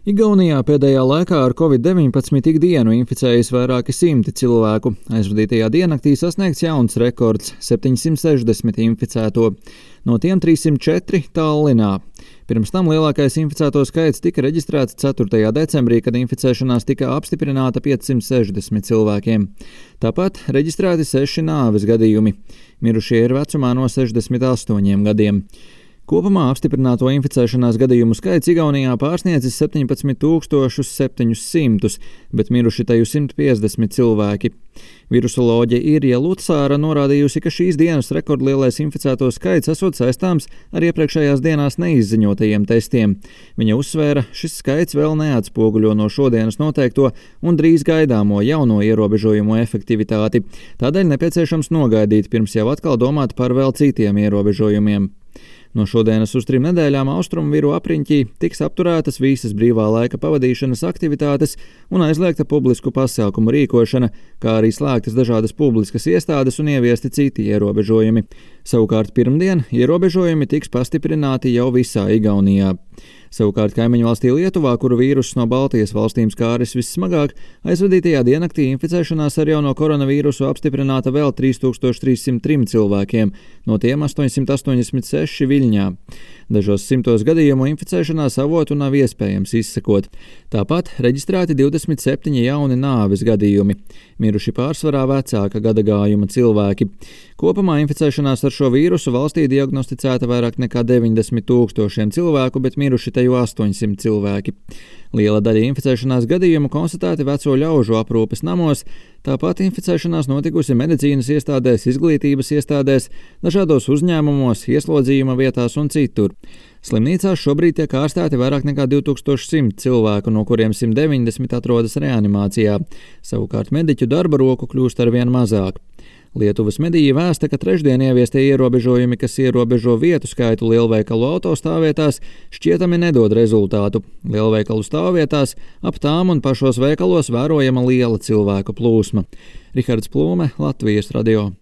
Igaunijā pēdējā laikā ar Covid-19 ikdienu inficējas vairāki simti cilvēku. Aizvadītajā diennaktī sasniegts jauns rekords - 760 inficēto. No tiem 304 Tallinā. Pirms tam lielākais inficēto skaits tika reģistrēts 4. decembrī, kad inficēšanās tika apstiprināta 560 cilvēkiem. Tāpat reģistrēti 6 nāves gadījumi. Mirušie ir vecumā no 68 gadiem. Kopumā apstiprināto inficēšanās gadījumu skaits Igaunijā pārsniedzis 17 700, bet miruši tajā 150 cilvēki. Virusoloģe Irja Lutsāra norādījusi, ka šīs dienas rekordlielais inficēto skaits esot saistāms ar iepriekšējās dienās neizziņotajiem testiem. Viņa uzsvēra, šis skaits vēl neatspoguļo no šodienas noteikto un drīz gaidāmo jauno ierobežojumu efektivitāti. Tādēļ nepieciešams nogaidīt, pirms jau atkal domāt par vēl citiem ierobežojumiem. No šodienas uz 3 nedēļām austrumviru apriņķī tiks apturētas visas brīvā laika pavadīšanas aktivitātes un aizliegta publisku pasākumu rīkošana, kā arī slēgtas dažādas publiskas iestādes un ieviesti citi ierobežojumi. Savukārt pirmdien ierobežojumi tiks pastiprināti jau visā Igaunijā. Savukārt kaimiņu valstī Lietuvā, kuru vīruss no Baltijas valstīm skāris vissmagāk, aizvadītajā diennaktī inficēšanās ar jauno koronavīrusu apstiprināta vēl 3303 cilvēkiem, no tiem 886 Viļņā. Dažos simtos gadījumu inficēšanās avotu nav iespējams izsekot. Tāpat reģistrēti 27 jauni nāves gadījumi. Miruši pārsvarā vecāka gadagājuma cilvēki. Kopumā inficēšanās ar šo vīrusu valstī diagnosticēta vairāk nekā 90 000 cilvēku, bet miruši teju 800 cilvēki. Liela daļa inficēšanās gadījumu konstatēti veco ļaužu aprūpes namos, tāpat inficēšanās notikusi medicīnas iestādēs, izglītības iestādēs, dažādos uzņēmumos, ieslodzījuma vietās un citur. Slimnīcās šobrīd tiek ārstēti vairāk nekā 2100 cilvēku, no kuriem 190 atrodas reanimācijā. Savukārt mediķu darba roku kļūst arvien mazāk. Lietuvas mediji vēsta, ka trešdien ieviestie ierobežojumi, kas ierobežo vietu skaitu lielveikalu autostāvvietās, šķietami nedod rezultātu. Lielveikalu stāvvietās ap tām un pašos veikalos vērojama liela cilvēku plūsma. Rihards Plūme, Latvijas radio.